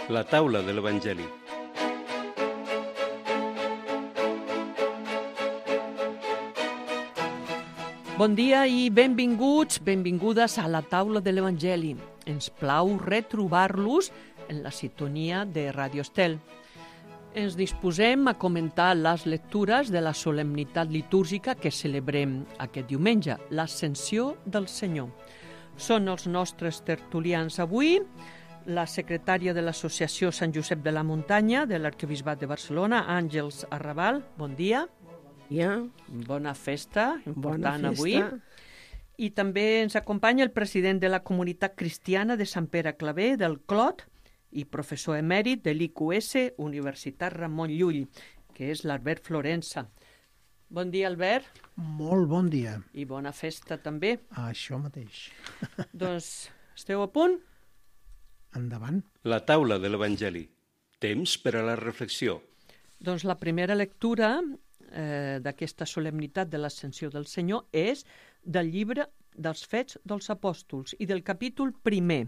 La taula de l'Evangeli. Bon dia i benvinguts, benvingudes a la taula de l'Evangeli. Ens plau retrobar-los en la sintonia de Radio Estel. Ens disposem a comentar les lectures de la solemnitat litúrgica que celebrem aquest diumenge, l'Ascensió del Senyor. Són els nostres tertulians avui, la secretària de l'Associació Sant Josep de la Muntanya de l'Arquebisbat de Barcelona, Àngels Arrabal, bon dia. Bona festa, important avui. I també ens acompanya el president de la Comunitat Cristiana de Sant Pere Claver, del Clot, i professor emèrit de l'IQS, Universitat Ramon Llull, que és l'Albert Florença. Bon dia, Albert. Molt bon dia. I bona festa també. Això mateix. Doncs esteu a punt? Endavant. La taula de l'Evangeli. Temps per a la reflexió. Doncs la primera lectura d'aquesta solemnitat de l'Ascensió del Senyor és del llibre dels Fets dels Apòstols i del capítol 1.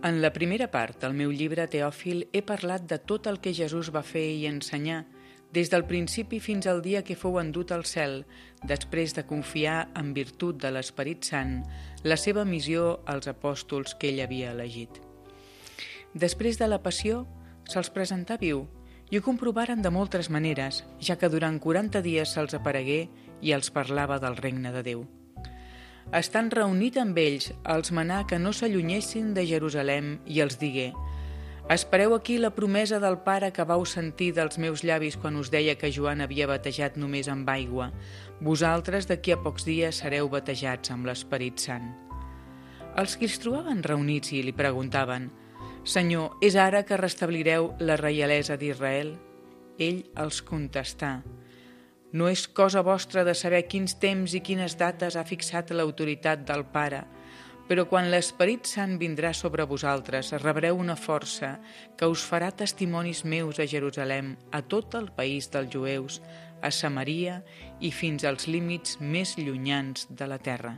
En la primera part del meu llibre Teòfil he parlat de tot el que Jesús va fer i ensenyar des del principi fins al dia que fou endut al cel, després de confiar en virtut de l'Esperit Sant la seva missió als apòstols que ell havia elegit. Després de la passió, se'ls presentà viu i ho comprovaren de moltes maneres, ja que durant 40 dies se'ls aparegué i els parlava del regne de Déu. Estant reunit amb ells, els manà que no s'allunyessin de Jerusalem i els digué: «Espereu aquí la promesa del Pare que vau sentir dels meus llavis quan us deia que Joan havia batejat només amb aigua. Vosaltres d'aquí a pocs dies sereu batejats amb l'Esperit Sant». Els qui els trobaven reunits i li preguntaven: «Senyor, és ara que restablireu la reialesa d'Israel?» Ell els contestà: «No és cosa vostra de saber quins temps i quines dates ha fixat l'autoritat del Pare, però quan l'Esperit Sant vindrà sobre vosaltres, rebreu una força que us farà testimonis meus a Jerusalem, a tot el país dels jueus, a Samaria i fins als límits més llunyans de la terra».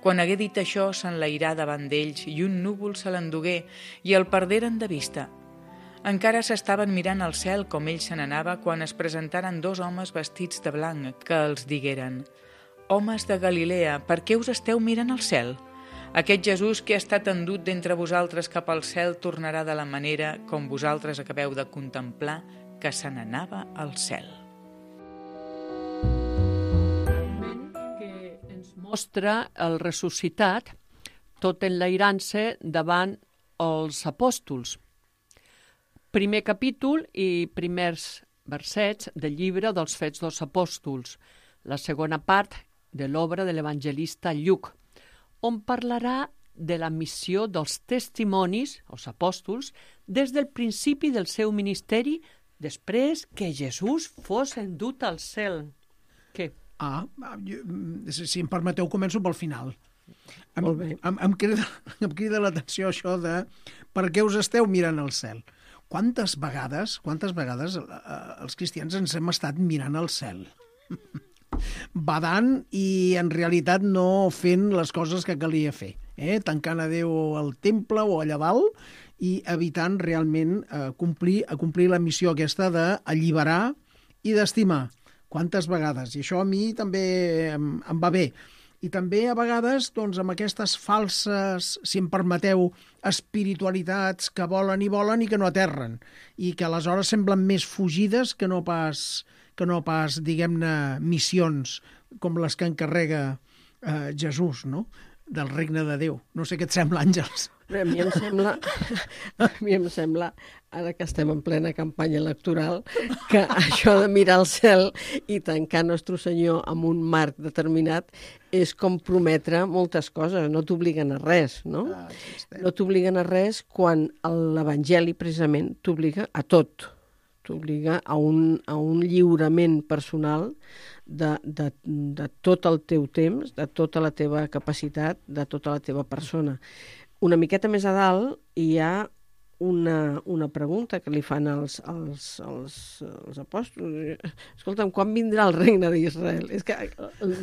Quan hagué dit això, s'enlairà davant d'ells i un núvol se l'endugué i el perderen de vista. Encara s'estaven mirant al cel com ell se n'anava quan es presentaren 2 homes vestits de blanc que els digueren: «Homes de Galilea, per què us esteu mirant al cel? Aquest Jesús que ha estat endut d'entre vosaltres cap al cel tornarà de la manera com vosaltres acabeu de contemplar que se n'anava al cel». Mostra el ressuscitat tot enlairant-se davant els apòstols. Primer capítol i primers versets del llibre dels Fets dels Apòstols, la segona part de l'obra de l'evangelista Lluc, on parlarà de la missió dels testimonis, els apòstols, des del principi del seu ministeri, després que Jesús fos endut al cel. Què? Si em permeteu, començo pel final. Molt bé. Em crida l'atenció això de per què us esteu mirant al cel. Quantes vegades els cristians ens hem estat mirant al cel? Badant i en realitat no fent les coses que calia fer. Tancant a Déu al temple o allà dalt i evitant realment complir la missió aquesta d'alliberar i d'estimar. Quantes vegades? I això a mi també em va bé. I també a vegades doncs, amb aquestes falses, si em permeteu, espiritualitats que volen i que no aterren i que aleshores semblen més fugides que no pas diguem-ne, missions com les que encarrega Jesús, no?, del regne de Déu. No sé què et sembla, Àngels. A mi em sembla, ara que estem en plena campanya electoral, que això de mirar al cel i tancar Nostre Senyor amb un marc determinat és com prometre moltes coses, no t'obliguen a res, no? No t'obliguen a res quan l'Evangeli precisament t'obliga a tot. T'obliga a un lliurament personal de tot el teu temps, de tota la teva capacitat, de tota la teva persona. Una miqueta més a dalt hi ha una pregunta que li fan els apòstols. Escolta'm, quan vindrà el regne d'Israel? És que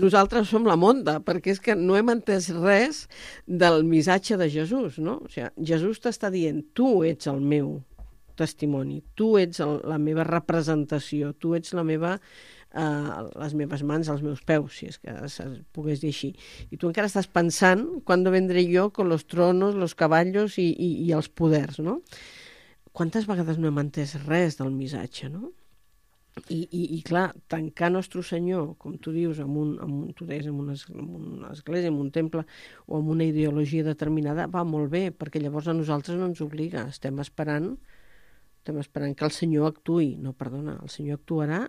nosaltres som la monda, perquè és que no hem entès res del missatge de Jesús, no? O sigui, Jesús t'està dient, tu ets el meu testimoni, tu ets la meva representació, tu ets les meves mans, els meus peus, si és que es pogués dir així. I tu encara estàs pensant ¿cuándo vendré yo con los tronos, los caballos i els poders, no? Quantes vegades no hem entès res del missatge, no? I clar, tancar Nostre Senyor, com tu dius, en una església, en un temple o en una ideologia determinada, va molt bé, perquè llavors a nosaltres no ens obliga. Estem esperant que el Senyor actuï. No, perdona, el Senyor actuarà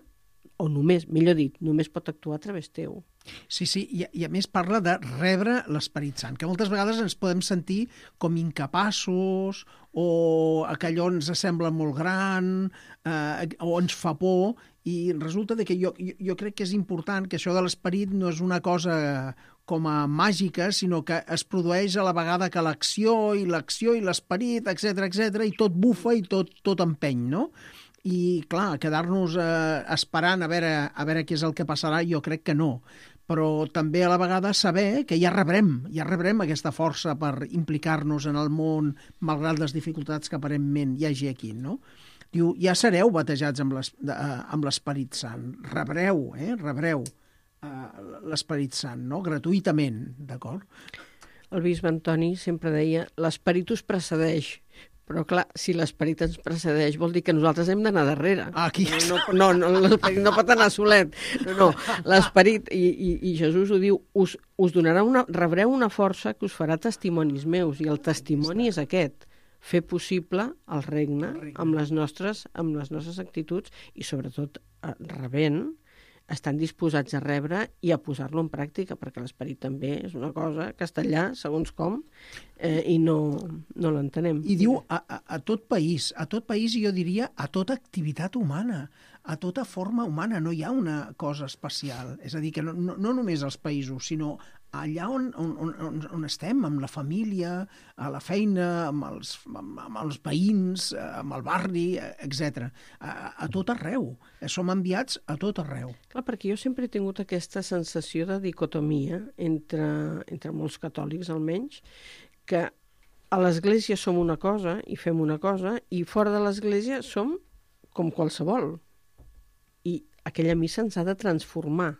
o només, millor dit, només pot actuar a través teu. Sí, i a més parla de rebre l'Esperit Sant, que moltes vegades ens podem sentir com incapaços o que allò ens sembla molt gran o ens fa por, i resulta que jo crec que és important que això de l'Esperit no és una cosa com a màgica, sinó que es produeix a la vegada que l'acció i l'Esperit, etc, i tot bufa i tot empeny, no? I, clar, quedar-nos esperant a veure què és el que passarà, jo crec que no. Però també a la vegada saber que ja rebrem aquesta força per implicar-nos en el món, malgrat les dificultats que aparentment hi hagi aquí, no? Diu, ja sereu batejats amb l'Esperit Sant. Rebreu l'Esperit Sant, no? Gratuïtament, d'acord? El bisbe Antoni sempre deia, l'Esperit us precedeix. Però, clar, si l'Esperit ens precedeix, vol dir que nosaltres hem d'anar darrere. Aquí. No, l'Esperit no pot anar solet. No, l'Esperit, i Jesús ho diu, us donarà rebreu una força que us farà testimonis meus, i el testimoni és aquest, fer possible el regne amb les nostres actituds i, sobretot, rebent, estan disposats a rebre i a posar-lo en pràctica, perquè l'Esperit també és una cosa que està allà, segons com, i no l'entenem. I diu a tot país, i jo diria a tota activitat humana, a tota forma humana, no hi ha una cosa especial. És a dir, que no només als països, sinó allà on estem, amb la família, a la feina, amb els veïns, amb el barri, etc. A tot arreu. Som enviats a tot arreu. Clar, perquè jo sempre he tingut aquesta sensació de dicotomia entre molts catòlics, almenys, que a l'Església som una cosa i fem una cosa, i fora de l'Església som com qualsevol. I aquella missa ens ha de transformar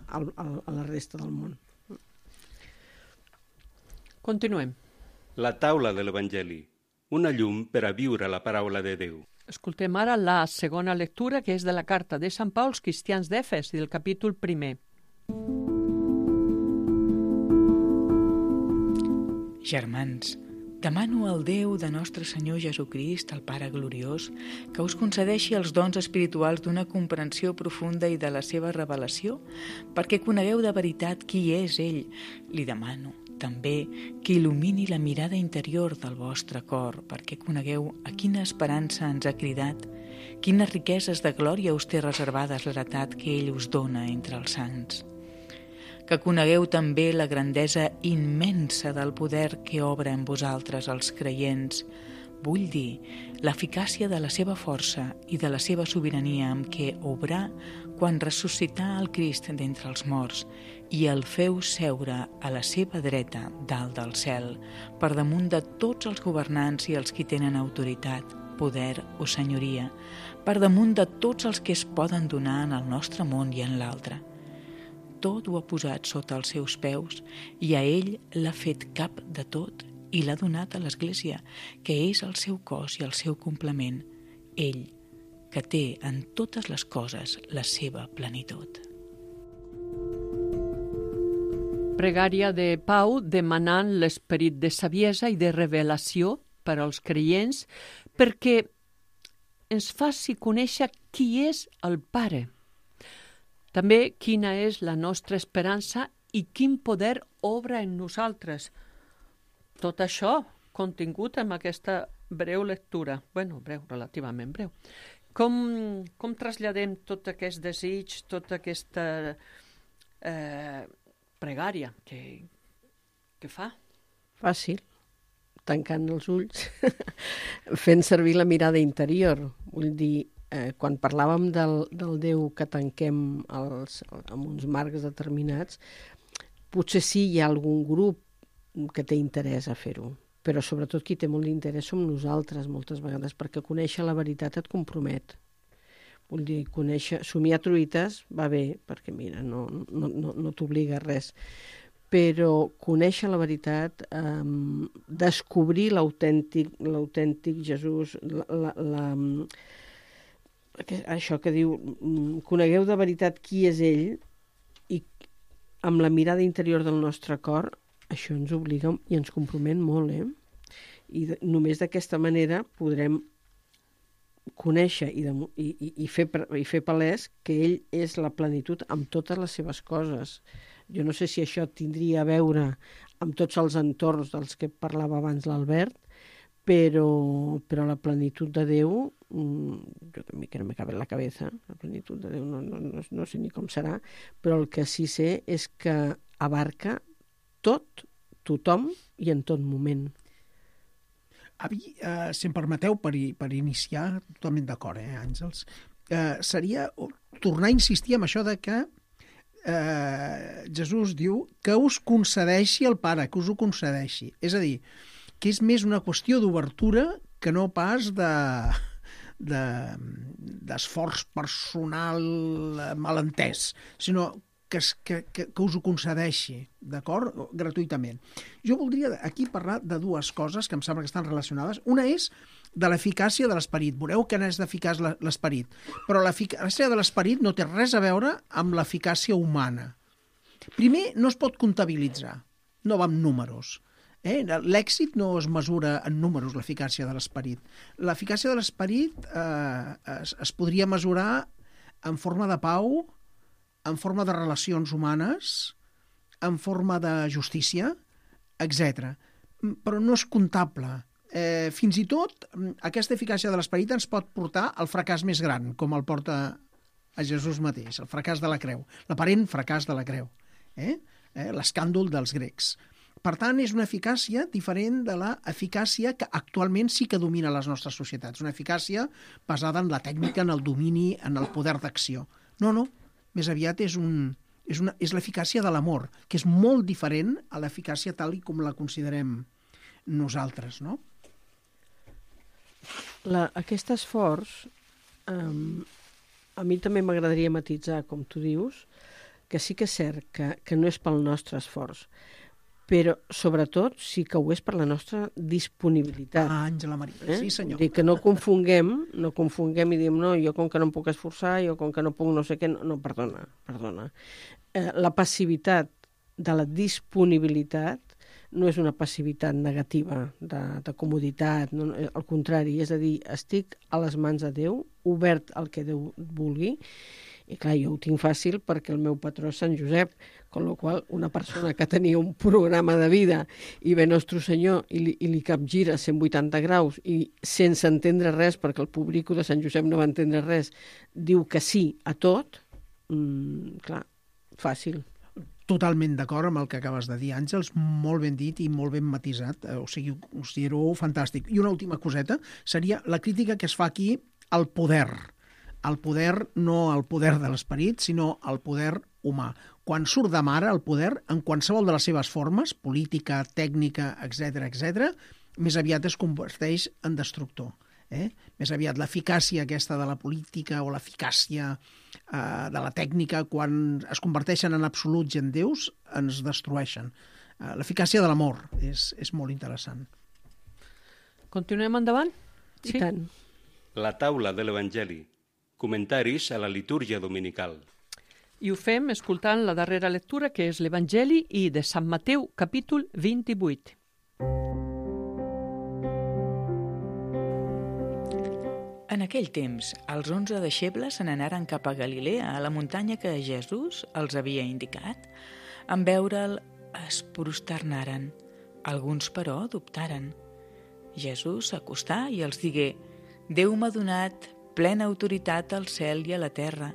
a la resta del món. Continuem. La taula de l'Evangeli, una llum per a viure la paraula de Déu. Escoltem ara la segona lectura, que és de la carta de Sant Pau als cristians d'Efes, del capítol 1. Germans, demano al Déu de nostre Senyor Jesucrist, el Pare gloriós, que us concedeixi els dons espirituals d'una comprensió profunda i de la seva revelació, perquè conegueu de veritat qui és ell. Li demano també que il·lumini la mirada interior del vostre cor, perquè conegueu a quina esperança ens ha cridat, quines riqueses de glòria us té reservades l'heretat que ell us dona entre els sants. Que conegueu també la grandesa immensa del poder que obra en vosaltres els creients, vull dir, l'eficàcia de la seva força i de la seva sobirania amb què obrà quan ressuscità el Crist d'entre els morts i el feu seure a la seva dreta dalt del cel, per damunt de tots els governants i els qui tenen autoritat, poder o senyoria, per damunt de tots els que es poden donar en el nostre món i en l'altre. Tot ho ha posat sota els seus peus i a ell l'ha fet cap de tot i l'ha donat a l'Església, que és el seu cos i el seu complement, ell, que té en totes les coses la seva plenitud. Pregària de Pau demanant l'esperit de saviesa i de revelació per als creients perquè ens faci conèixer qui és el Pare. També quina és la nostra esperança i quin poder obra en nosaltres. Tot això contingut en aquesta breu lectura. Breu, relativament breu. Com traslladem tot aquest desig, tota aquesta pregària que fa? Fàcil. tancant els ulls, fent servir la mirada interior. Vull dir, quan parlàvem del Déu que tanquem amb uns marcs determinats, potser sí hi ha algun grup que té interès a fer-ho, però sobretot qui té molt d'interès som nosaltres moltes vegades, perquè conèixer la veritat et compromet. Vull dir, somiar truites va bé, perquè mira, no t'obliga a res, però conèixer la veritat, descobrir l'autèntic Jesús, això que diu, conegueu de veritat qui és ell, i amb la mirada interior del nostre cor, això ens obliga i ens compromet molt, I només d'aquesta manera podrem conèixer i fer palès que ell és la plenitud amb totes les seves coses. Jo no sé si això tindria a veure amb tots els entorns dels que parlava abans l'Albert, però la plenitud de Déu, jo també que no me cabe en la cabeza, la plenitud de Déu no sé ni com serà, però el que sí sé és que abarca tot, tothom i en tot moment. Avi, si em permeteu, per iniciar, totalment d'acord, Àngels, seria tornar a insistir en això de que Jesús diu que us concedeixi el Pare, que us ho concedeixi. És a dir, que és més una qüestió d'obertura que no pas d'esforç personal malentès, sinó que us ho concedeixi, d'acord? Gratuïtament. Jo voldria aquí parlar de dues coses que em sembla que estan relacionades. Una és de l'eficàcia de l'esperit. Veureu que n'és d'eficaç l'esperit. Però l'eficàcia de l'esperit no té res a veure amb l'eficàcia humana. Primer, no es pot comptabilitzar. No va amb números. L'èxit no es mesura en números, l'eficàcia de l'esperit. L'eficàcia de l'esperit es podria mesurar en forma de pau, en forma de relacions humanes, en forma de justícia, etc. Però no és comptable. Fins i tot, aquesta eficàcia de l'esperit ens pot portar al fracàs més gran, com el porta a Jesús mateix, el fracàs de la creu, l'aparent fracàs de la creu, l'escàndol dels grecs. Per tant, és una eficàcia diferent de l'eficàcia que actualment sí que domina les nostres societats, una eficàcia basada en la tècnica, en el domini, en el poder d'acció. No, més aviat és l'eficàcia de l'amor, que és molt diferent a l'eficàcia tal com la considerem nosaltres, no? Aquest esforç, a mi també m'agradaria matisar, com tu dius, que sí que és cert que no és pel nostre esforç, però sobretot sí que ho és per la nostra disponibilitat. Àngela Maria, sí senyor. Dir que no confonguem i diem, no, jo com que no em puc esforçar, jo com que no puc no sé què, no, perdona. La passivitat de la disponibilitat no és una passivitat negativa, de comoditat, no, al contrari, és a dir, estic a les mans de Déu, obert al que Déu vulgui, i clar, jo ho tinc fàcil perquè el meu patró és Sant Josep, amb la qual una persona que tenia un programa de vida i ve Nostre Senyor i li capgira 180 graus i sense entendre res, perquè el público de Sant Josep no va entendre res, diu que sí a tot, clar, fàcil. Totalment d'acord amb el que acabes de dir, Àngels, molt ben dit i molt ben matisat, o sigui, ho considero fantàstic. I una última coseta seria la crítica que es fa aquí al poder. El poder, no el poder de l'esperit, sinó el poder humà. Quan surt de mare el poder, en qualsevol de les seves formes, política, tècnica, etc., més aviat es converteix en destructor. Més aviat l'eficàcia aquesta de la política o l'eficàcia de la tècnica, quan es converteixen en absoluts i en déus, ens destrueixen. L'eficàcia de l'amor és molt interessant. Continuem endavant? Sí. I tant. La taula de l'Evangeli. Comentaris a la litúrgia dominical. I ho fem escoltant la darrera lectura, que és l'Evangeli i de Sant Mateu, capítol 28. En aquell temps, els 11 deixebles se n'anaren cap a Galilea, a la muntanya que Jesús els havia indicat. En veure'l, es prosternaren. Alguns, però, dubtaren. Jesús s'acostà i els digué: Déu m'ha donat plena autoritat al cel i a la terra.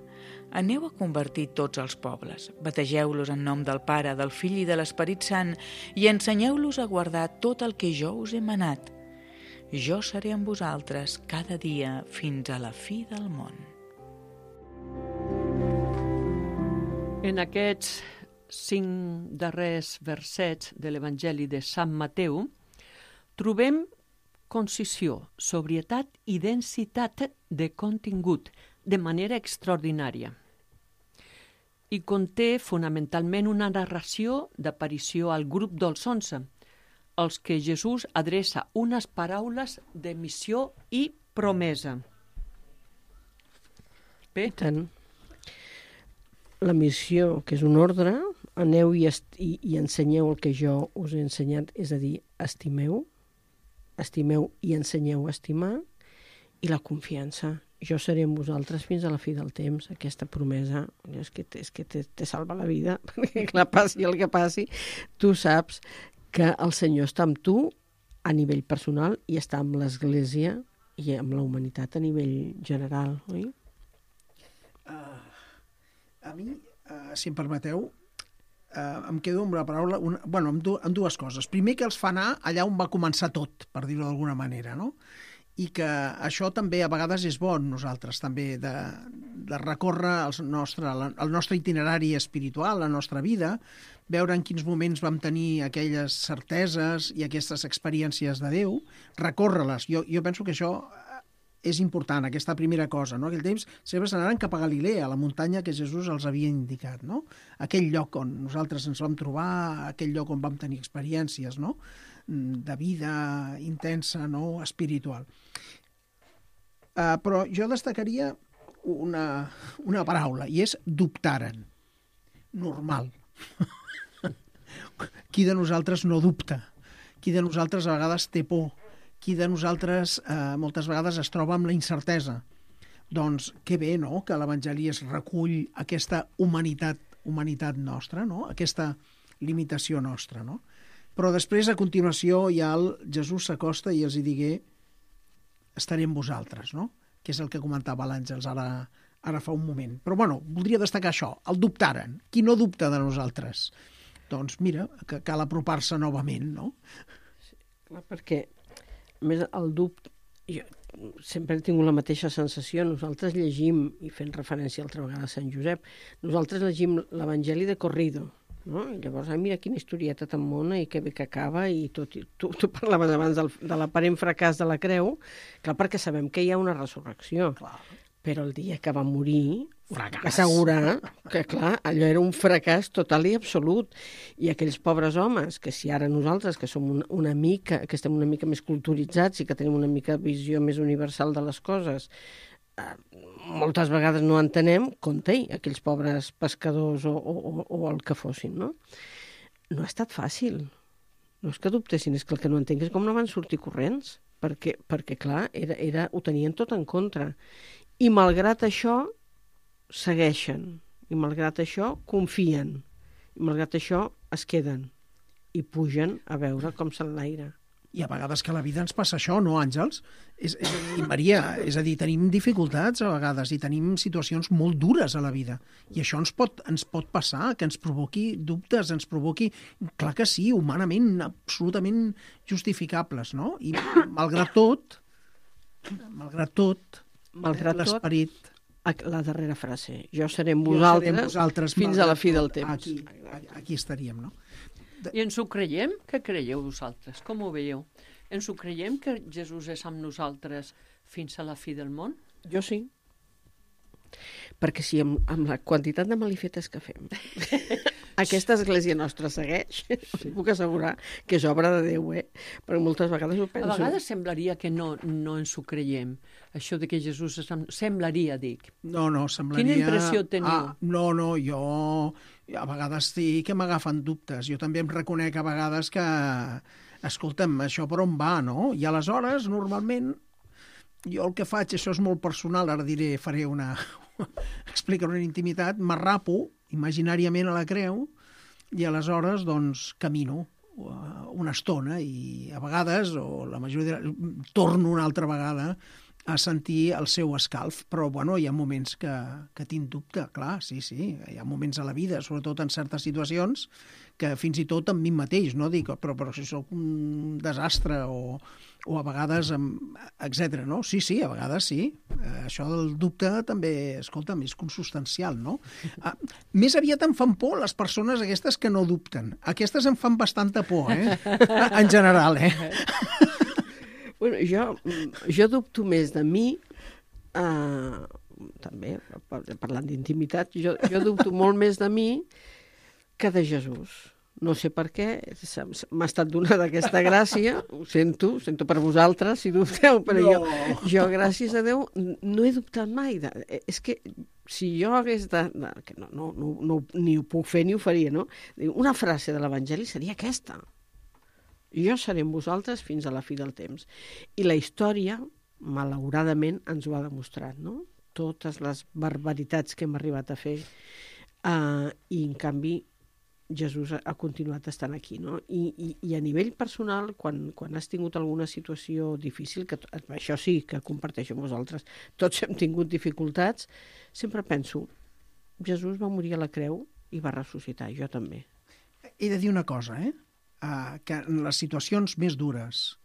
Aneu a convertir tots els pobles, bategeu-los en nom del Pare, del Fill i de l'Esperit Sant i ensenyeu-los a guardar tot el que jo us he manat. Jo seré amb vosaltres cada dia fins a la fi del món. En aquests 5 darrers versets de l'Evangeli de Sant Mateu trobem concisió, sobrietat i densitat de contingut de manera extraordinària. I conté fonamentalment una narració d'aparició al grup dels 11, als que Jesús adreça unes paraules de missió i promesa. Bé, Tant. La missió, que és un ordre, aneu i ensenyeu el que jo us he ensenyat, és a dir, estimeu i ensenyeu a estimar, i la confiança. Jo seré amb vosaltres fins a la fi del temps. Aquesta promesa és que te salva la vida, perquè clar, passi el que passi, tu saps que el Senyor està amb tu a nivell personal i està amb l'Església i amb la humanitat a nivell general, oi? A mi, si em permeteu, em quedo amb la paraula, amb dues coses. Primer, que els fa anar allà on va començar tot, per dir-ho d'alguna manera, no? I que això també a vegades és bo nosaltres, també, de recórrer el nostre itinerari espiritual, la nostra vida, veure en quins moments vam tenir aquelles certeses i aquestes experiències de Déu, recórrer-les. Jo penso que això és important, aquesta primera cosa, no? Aquell temps sempre s'anaran cap a Galilea, a la muntanya que Jesús els havia indicat, no? Aquell lloc on nosaltres ens vam trobar, aquell lloc on vam tenir experiències, no? De vida intensa, no? Espiritual. Però jo destacaria una paraula, i és dubtaren. Normal. Qui de nosaltres no dubta? Qui de nosaltres a vegades té por? Qui de nosaltres moltes vegades es troba amb la incertesa? Doncs que bé, no?, que l'Evangeli es recull aquesta humanitat nostra, no?, aquesta limitació nostra, no? Però després, a continuació, ja Jesús s'acosta i els hi digué: estaré amb vosaltres, no?, que és el que comentava l'Àngels ara fa un moment. Però, bueno, voldria destacar això, el dubtaren. Qui no dubta de nosaltres? Doncs mira, que cal apropar-se novament, no? Sí, clar, perquè a més, el dubte, jo sempre he tingut la mateixa sensació. Nosaltres llegim, i fent referència altra vegada a Sant Josep, nosaltres llegim l'Evangeli de corrido, no? I llavors, mira quina historieta tan mona i que bé que acaba, i tot. Tu parlaves abans de l'aparent fracàs de la creu, clar, perquè sabem que hi ha una resurrecció. Clar. Però el dia que va morir, assegurar que, clar, allò era un fracàs total i absolut. I aquells pobres homes, que si ara nosaltres, que som una mica, que estem una mica més culturitzats i que tenim una mica visió més universal de les coses, moltes vegades no entenem, compte-hi, aquells pobres pescadors o el que fossin, no? No ha estat fàcil. No és que dubtessin, és que el que no entenc és com no van sortir corrents, perquè clar, ho tenien tot en contra. I malgrat això, segueixen. I malgrat això, confien. I malgrat això, es queden. I pugen a veure com s'enlaira. I a vegades que a la vida ens passa això, no, Àngels? I Maria, és a dir, tenim dificultats a vegades i tenim situacions molt dures a la vida. I això ens pot passar, que ens provoqui dubtes, ens provoqui... Clar que sí, humanament, absolutament justificables, no? I malgrat tot, l'esperit... La darrera frase. Jo seré amb vosaltres fins a la fi del temps. Aquí estaríem, no? I ens ho creiem? Què creieu vosaltres? Com ho veieu? Ens ho creiem que Jesús és amb nosaltres fins a la fi del món? Jo sí. Perquè si amb la quantitat de malifetes que fem aquesta església nostra segueix, us puc assegurar que és obra de Déu, perquè moltes vegades ho penso. A vegades semblaria que no ens ho creiem. Això de que Jesús és amb... Semblaria, dic. No, semblaria... Quina impressió teniu? No, jo a vegades sí que m'agafen dubtes. Jo també em reconec a vegades que, escolta'm, això per on va, no? I aleshores, normalment, jo el que faig, això és molt personal, ara faré explicaré una intimitat, m'arrapo imaginàriament a la creu i aleshores, doncs, camino una estona i a vegades, o la majoria torno una altra vegada a sentir el seu escalf, però bueno, hi ha moments que tinc dubte, clar, sí, hi ha moments a la vida, sobretot en certes situacions, que fins i tot amb mi mateix, no? Dic, però si sóc un desastre o a vegades, etc. no? Sí, a vegades sí. Això del dubte també, escolta'm, és consubstancial, no? Més aviat em fan por les persones aquestes que no dubten. Aquestes em fan bastanta por, en general, Bueno, jo dubto més de mi, també, parlant d'intimitat, jo dubto molt més de mi que de Jesús. No sé per què, m'ha estat donada aquesta gràcia, ho sento per vosaltres, si dubteu, però jo, gràcies a Déu, no he dubtat mai. És que si jo hagués que ni ho puc fer ni ho faria, no? Una frase de l'Evangeli seria aquesta. Jo seré amb vosaltres fins a la fi del temps. I la història, malauradament, ens ho ha demostrat, no? Totes les barbaritats que hem arribat a fer. I, en canvi, Jesús ha continuat estant aquí, no? I a nivell personal, quan has tingut alguna situació difícil, que això sí que comparteixo amb vosaltres, tots hem tingut dificultats, sempre penso, Jesús va morir a la creu i va ressuscitar, jo també. He de dir una cosa, que en les situacions més dures,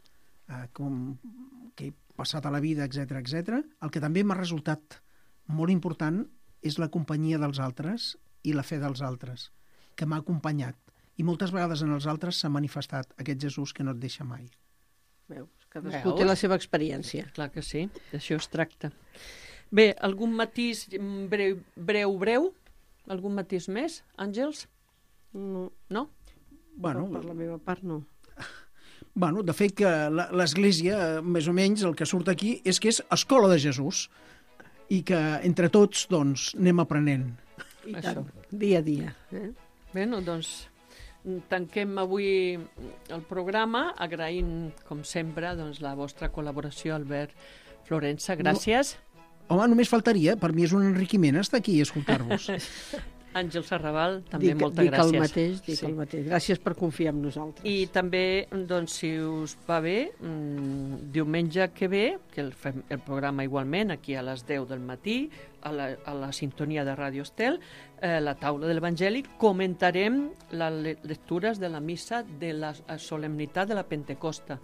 com que he passat a la vida, etc, el que també m'ha resultat molt important és la companyia dels altres i la fe dels altres, que m'ha acompanyat. I moltes vegades en els altres s'ha manifestat aquest Jesús que no et deixa mai. Veus? Cadascú té la seva experiència. Clar que sí, d'això es tracta. Bé, algun matís breu? Algun matís més, Àngels? No? Bueno, per la meva part, no. Bueno, de fet que l'Església, més o menys, el que surt aquí és que és escola de Jesús i que entre tots, doncs, anem aprenent. I tant, dia a dia. Bé, doncs, tanquem avui el programa agraint, com sempre, doncs, la vostra col·laboració, Albert Florença. Gràcies. Home, només faltaria. Per mi és un enriquiment estar aquí i escoltar-vos. Àngel Serrabal, també moltes gràcies. Dic el mateix. Gràcies per confiar en nosaltres. I també, doncs, si us va bé, diumenge que ve, que fem el programa igualment, aquí a les 10 del matí, a la sintonia de Ràdio Estel, la taula de l'Evangeli, comentarem les lectures de la missa de la solemnitat de la Pentecosta.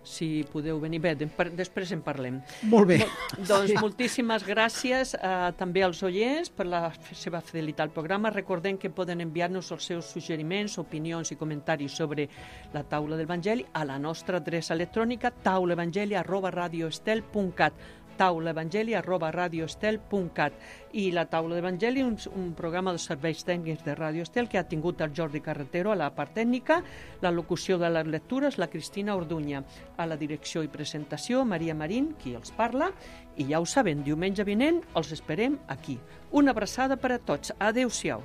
Si podeu venir. Bé, després en parlem. Molt bé. Doncs moltíssimes gràcies també als oients per la seva fidelitat al programa. Recordem que poden enviar-nos els seus suggeriments, opinions i comentaris sobre la taula de l'Evangeli a la nostra adreça electrònica taulaevangeli@radioestel.cat taulaevangeli@radioestel.cat. I la taula d'Evangeli, un programa de serveis tècnics de Ràdio Estel que ha tingut el Jordi Carretero a la part tècnica, la locució de les lectures, la Cristina Orduña, a la direcció i presentació, Maria Marín, qui els parla, i ja ho saben, diumenge vinent els esperem aquí. Una abraçada per a tots. Adéu-siau.